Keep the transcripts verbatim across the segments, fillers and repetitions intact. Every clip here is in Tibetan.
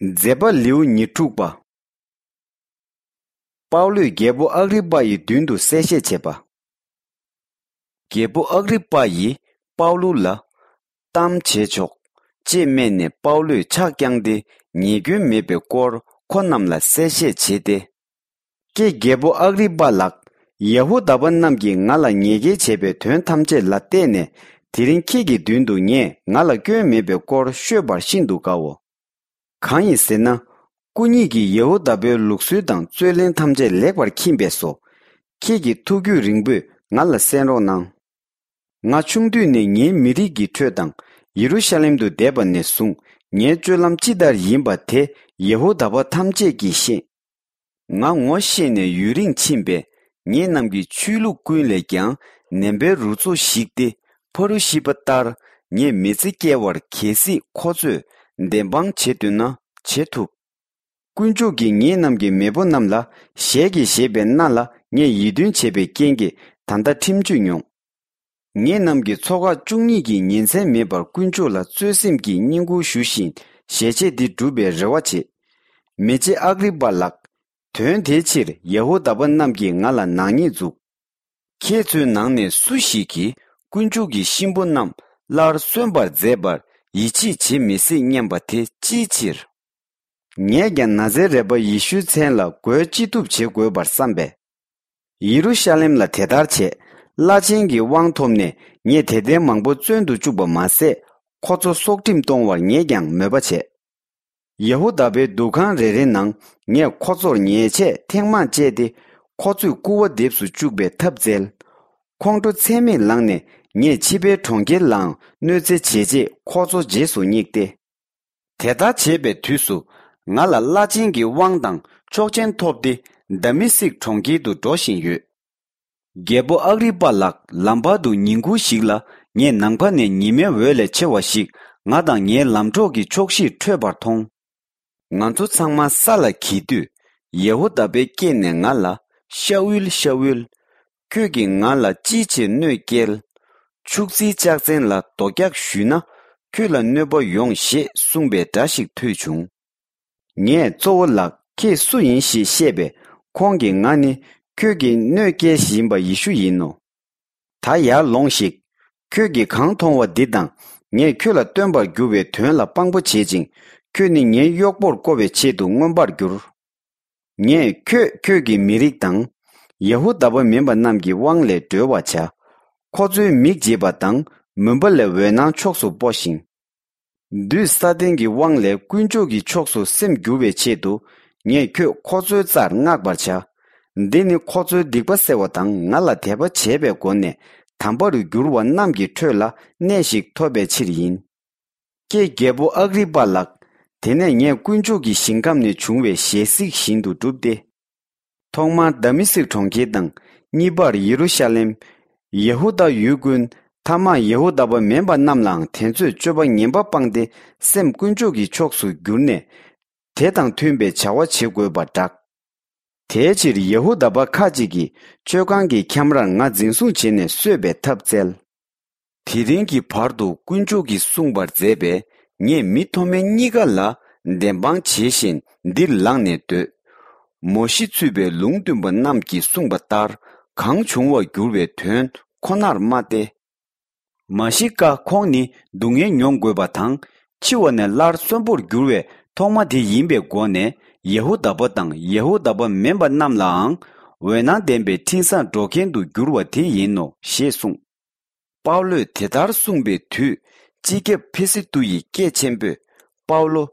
མཛད་པ་ལེའུ་ཉེར་དྲུག་པ། པའུ་ལོས་རྒྱལ་པོ་ཨག་རི་པ་ཡི་མདུན་དུ་གསལ་བཤད་བྱེད་པ། རྒྱལ་པོ་ཨག་རི་པ་ཡིས་པའུ་ལུ་ལ། གཏམ་བྱེད་ཆོག་ཅེས་སྨྲས་ནས་པའུ་ལོས་ཕྱག་བརྐྱངས་ཏེ་ཉེས་སྐྱོན་མེད་པའི་སྐོར་ཁོ་རྣམས་ལ་གསལ་བཤད་བྱས་ཏེ། ཀྱེ་རྒྱལ་པོ་ཨག་རི་པ་ལགས། ཡ་ཧུ་དཱ་པ་རྣམས་ཀྱིས་ང་ལ་ཉེས་འགེལ་བྱས་པའི་དོན་ཐམས་ཅད་ལ་བལྟས་ནས། དེ་རིང་ཁྱེད་ཀྱི་མདུན་དུ་ངས་ང་ལ་སྐྱོན་མེད་པའི་སྐོར་ཤོད་པར་ཤིན་ཏུ་དགའ་འོ། གང་ཡིན་ཟེར་ན། སྐུ་ཉིད་ཀྱིས་ཡ་ཧུ་དཱ་པའི་ལུགས་སྲོལ་དང་རྩོད་གླེང་ཐམས་ཅད་ལེགས་པར་མཁྱེན་པས་སོ། ཁྱེད་ཀྱི་ཐུགས་རྒྱུད་རིང་པོས་ང་ལ་གསན་རོགས་གནང་། ང་ཆུང་དུས་ནས་ངའི་མི་རིགས་ཀྱི་ཁྲོད་དང་ཡེ་རུ་ཤ་ལེམ་དུ་བསྡད་པ་ནས་བཟུང་ངའི་སྤྱོད་ལམ་ཅི་ལྟར་ཡིན་པ་དེ་ཡ་ཧུ་དཱ་པ་ཐམས་ཅད་ཀྱིས་ཤེས། ང་ངོ་ཤེས་ནས་ཡུན་རིང་ཕྱིན་པས། ངེད་རྣམས་ཀྱི་ཆོས་ལུགས་ཀུན་ལས་ཀྱང་ནན་པའི་རུ་ཚོགས་ཤིག་སྟེ། ཕ་རུ་ཤི་པ་ལྟར་ངས་མི་ཚེ་སྐྱེལ་བར་གལ་སྲིད་ཁོ་ཚོས་བདེན་དཔང་བྱེད་འདོད་ན་བྱེད་ཐུབ། དཀོན་མཆོག་གིས་ངེད་རྣམས་ཀྱི་མེས་པོ་རྣམས་ལ་ཞལ་གྱིས་བཞེས་པའི་མནའ་ལ་ངས་ཡིད་རྟོན་བྱས་པའི་རྐྱེན་གྱིས་ད་ལྟ་ཁྲིམས་གཅོད་མྱོང་། ངེད་རྣམས་ཀྱི་ཚོགས་ཁག་བཅུ་གཉིས་ཀྱིས་ཉིན་མཚན་མེད་པར་དཀོན་མཆོག་ལ་བརྩོན་སེམས་ཀྱིས་བསྙེན་བཀུར་ཞུ་བཞིན་ཞལ་ཆད་འདི་སྒྲུབ་པའི་རེ་བ་བྱེད། མི་རྗེ་ཨག་རི་པ་ལགས། དོན་དེའི་ཕྱིར་ཡ་ཧུ་དཱ་པ་རྣམས་ཀྱིས་ང་ལ་ནག་ཉེས་འཛུགས། ཁྱེད་ཚོའི་ནང་ནས་སུ་ཞིག་གིས་དཀོན་མཆོག་གི་གཤིན་པོ་རྣམས་སླར་གསོན་པར་མཛད་པར་ཡིད་ཆེས་བྱེད་མི་སྲིད་སྙམ་པ་དེ་ཅིའི་ཕྱིར། ངས་ཀྱང་ན་ཛེ་རད་པ་ཡེ་ཤུའི་མཚན་ལ་རྒོལ་ཅི་ཐུབ་བྱེད་དགོས་པར་བསམ་པས། ཡེ་རུ་ཤ་ལེམ་ལ་དེ་ལྟར་བྱས། བླ་ཆེན་གྱི་དབང་ཐོབ་ནས་ངས་དད་ལྡན་མང་པོ་བཙོན་དུ་བཅུག་པ་མ་ཟད། ཁོ་ཚོ་སྲོག་ཁྲིམས་གཏོང་བར་ངས་ཀྱང་མོས་པ་བྱས། ཡ་ཧུ་དཱ་པའི་འདུ་ཁང་རེ་རེ་ནང་ངས་ཁོ་ཚོར་ཉེས་ཆད་ཐེངས་མང་བཅད་དེ། ཁོ་ཚོས་སྐུར་བ་འདེབས་སུ་བཅུག་པའི་ཐབས་བཙལ། ཁོང་ཁྲོ་ཚད་མེད་ལངས་ནས་ངས་ཕྱི་པའི་གྲོང་ཁྱེར་ལའང་གནོད་འཚེ་བྱས་རྗེས་ཁོ་ཚོ་རྗེས་སུ་བསྙེགས་ཏེ། དེ་ལྟར་བྱས་པའི་དུས་སུ། ང་ལ་བླ་ཆེན་གྱི་དབང་དང་ཆོག་མཆན་ཐོབ་སྟེ། དཱ་མི་སིག་གྲོང་ཁྱེར་དུ་འགྲོ་བཞིན་ཡོད། རྒྱལ་པོ་ཨག་རི་པ་ལགས། ལམ་བར་དུ་ཉིན་གུང་ཞིག་ལ་ངས་ནམ་མཁའ་ནས་ཉི་མའི་འོད་ལས་ཆེ་བ་ཞིག་ང་དང་ངའི་ལམ་གྲོགས་ཀྱི་ཕྱོགས་བཞིར་འཕྲོས་པར་མཐོང་། ང་ཚོ་ཚང་མ་ས་ལ་འགྱེལ་དུས། ཡ་ཧུ་དཱ་པའི་སྐད་ནས་ང་ལ། ཤ་ཨུལ། ཤ་ཨུལ། ཁྱོད་ཀྱིས་ང་ལ་ཅིའི་ཕྱིར་གནོད་བསྐྱལ། ཕྱུགས་རྫིའི་ལྕགས་ཚན་ལ་རྡོ་རྒྱག་གཞུས་ན། ཁྱོད་ལ་གནོད་པ་ཡོང་ཞེས་གསུངས་པའི་སྒྲ་ཞིག་ཐོས་བྱུང་། ངས་གཙོ་བོ་ལགས། ཁྱེད་སུ་ཡིན་ཞེས་བཤད་པས། ཁོང་གིས་ང་ནི་ཁྱོད་ཀྱིས་གནོད་སྐྱེལ་བཞིན་པ་ཡེ་ཤུ་ཡིན་ནོ། ད་ཡར་ལོངས་ཤིག་ཁྱོད་ཀྱིས་གང་མཐོང་བ་འདི་དང་། ངས་ཁྱོད་ལ་སྟོན་པར་འགྱུར་བའི་དོན་ལ་དཔང་པོ་བྱེད་ཅིང་། ཁྱོད་ནི་ངའི་གཡོག་པོར་བསྐོ་བའི་ཆེད་དུ་མངོན་པར་འགྱུར། ངས་ཁྱོད་ཁྱོད་ཀྱི་མི་རིགས་དང་། ཡ་ཧུ་དཱ་པ་མིན་པ་རྣམས་ཀྱི་དབང་ལས་སྒྲོལ་བར་བྱ། ཁོ་ཚོའི་མིག་འབྱེད་པ་དང་མུན་པ་ལས་འོད་སྣང་ཕྱོགས་སུ་སྤོ་ཞིང་། བདུད་ས་ཏན་གྱི་དབང་ལས་དཀོན་མཆོག་གི་ཕྱོགས་སུ་སེམས་བསྒྱུར་བའི་ཆེད་དུ། ངས་ཁྱོད་ཁོ་ཚོའི་རྩར་མངགས་པར་བྱ། འདི་ནི་ཁོ་ཚོའི་སྡིག་པ་སེལ་བ་དང་། ང་ལ་དད་པ་བྱས་པའི་སྒོ་ནས་དམ་པ་རུ་འགྱུར་བ་རྣམས་ཀྱི་ཁྲོད་ལ་གནས་ཤིག་ཐོབ་པའི་ཕྱིར་ཡིན། ཀྱེ་རྒྱལ་པོ་ཨག་རི་པ་ལགས། དེ་ནས་ངས་དཀོན་མཆོག་གི་ཞིང་ཁམས་ནས་བྱུང་བའི་ཞལ་གཟིགས་བཞིན་དུ་བསྒྲུབས་ཏེ། ཐོག་མར་དཱ་མི་སིག་གྲོང་ཁྱེར་དང་། གཉིས་པར་ཡེ་རུ་ཤ་ལེམ། ཡ་ཧུ་དཱ་ཡུལ་ཀུན། ཐ་མར་ཡ་ཧུ་དཱ་པ་མིན་པ་རྣམས་ལའང་དེ་ཚོས་སྤྱོད་པ་ངན་པ་སྤངས་ཏེ། སེམས་དཀོན་མཆོག་གི་ཕྱོགས་སུ་བསྒྱུར་ནས། དེ་དང་མཐུན་པའི་བྱ་བ་བྱེད་དགོས་པར་བསྒྲགས། དེའི་ཕྱིར་ཡ་ཧུ་དཱ་པ་ཁ་ཅིག་གིས་མཆོད་ཁང་གི་ཁྱམས་རར་ང་འཛིན་བཟུང་བྱས་ནས་གསོད་པའི་ཐབས་བཙལ། དེ་རིང་གི་བར་དུ་དཀོན་མཆོག་གིས་གསུངས་པར་མཛད་པས། ངས་མི་མཐོ་དམན་གཉིས་ཀ་ལ་བདེན་དཔང་བྱེད་བཞིན་འདིར་ལངས་ནས་སྡོད། མོ་ཤེས་ཚུད་པའི་ལུང་སྟོན་པ་རྣམས་ཀྱིས་གསུངས་པ་ལྟར། གང་བྱུང་བར་འགྱུར་བའི་དོན་ཁོ་ནར་སྨྲ་སྟེ། མ་ཤི་ཀ་ཁོང་ནི་སྡུག་བསྔལ་མྱོང་དགོས་པ་དང་། འཆི་བ་ནས་སླར་གསོན་པོར་འགྱུར་བའི་ཐོག་མ་དེ་ཡིན་པའི་སྒོ་ནས། ཡ་ཧུ་དཱ་པ་དང་ཡ་ཧུ་དཱ་པ་མིན་པ་རྣམས་ལའང་འོད་སྣང་ལྡན་པའི་འཕྲིན་བཟང་སྒྲོག་མཁན་དུ་འགྱུར་བ་དེ་ཡིན་ནོ་ཞེས་གསུངས། པའུ་ལོས་དེ་ལྟར་གསུངས་པའི་དུས། སྤྱི་ཁྱབ་ཕི་སི་ཏུ་ཡི་སྐད་ཆེན་པོས། པའུ་ལོ།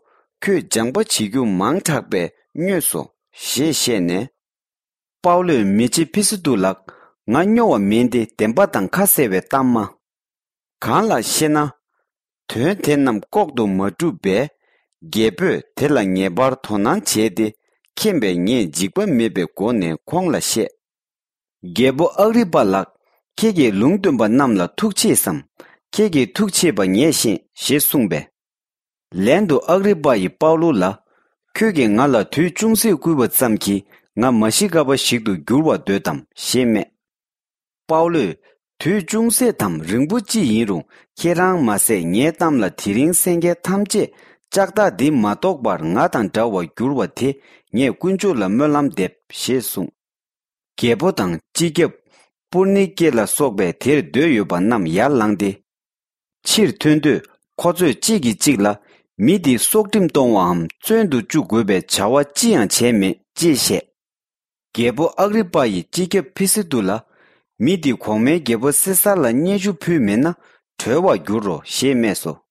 ཁྱོད་སྦྱང་པ་བྱེད་རྒྱུ་མང་དྲགས་པས་སྨྱོས་སོ། ཞེས་བཤད་ནས། པའུ་ལོས་མི་རྗེ་ཕི་སི་ཏུ་ལགས། ང་སྨྱོ་བ་མིན་ཏེ། བདེན་པ་དང་ཁ་གསལ་བའི་གཏམ་སྨྲ། གང་ལགས་ཤེ་ན། དོན་དེ་རྣམས་ལྐོག་ཏུ་མ་སྒྲུབ་པས། རྒྱལ་པོས་དེ་ལ་ངེས་པར་དོ་སྣང་བྱས་ཏེ། མཁྱེན་པས་ངས་འཇིགས་པ་མེད་པའི་སྒོ་ནས་ཁོང་ལ་བཤད། རྒྱལ་པོ་ཨག་རི་པ་ལགས། ཁྱེད་ཀྱིས་ལུང་སྟོན་པ་རྣམས་ལ་ཐུགས་ཆེས་སམ། ཁྱེད་ཀྱིས་ཐུགས་ཆེས་པ་ངས་ཤེས། ཞེས་གསུངས་པས། ལན་དུ་ཨག་རི་པ་ཡིས་པའུ་ལུ་ལ། ཁྱོད་ཀྱིས་ང་ལ་དུས་ཅུང་ཟད་བསྐུལ་བ་ཙམ་གྱིས། ང་མ་ཤི་ཀ་པ་ཞིག་ཏུ་འགྱུར་བར་འདོད་དམ། ཞེས་སྨྲས། པའུ་ལོས། དུས་ཅུང་ཟད་དམ་རིང་པོ་ཅི་ཡིན་རུང་། ཁྱེད་རང་མ་ཟད་ངའི་གཏམ་ལ་དེ་རིང་གསན་མཁན་ཐམས་ཅད་ ལྕགས་ཐག་འདི་མ་གཏོགས་པར་ང་དང་འདྲ་བར་འགྱུར་བ་དེ་ངས་དཀོན་མཆོག་ལ་སྨོན་ལམ་འདེབས་ཞེས་གསུངས། རྒྱལ་པོ་དང་སྤྱི་ཁྱབ་པུར་ནི་ཀེ་ལ་སོགས་པས་དེར་སྡོད་ཡོད་པ་རྣམས་ཡར་ལངས་ཏེ། ཕྱིར་ཐོན་དུས་ཁོ་ཚོས་གཅིག་གིས་གཅིག་ལ། མི་འདི་སྲོག་ཁྲིམས་གཏོང་བའམ་བཙོན་དུ་བཅུག་དགོས་པའི་བྱ་བ་ཅི་ཡང་བྱས་མེད་ཅེས་བཤད། རྒྱལ་པོ་ཨག་རི་པ་ཡིས་སྤྱི་ཁྱབ་ཕི་སི་ཏུ་ལ། མི་འདི་གོང་མའི་རྒྱལ་པོ་སེ་སར་ལ་སྙན་ཞུ་ཕུལ་མེད་ན་གྲོལ་བར་འགྱུར་རོ་ཞེས་སྨྲས་སོ།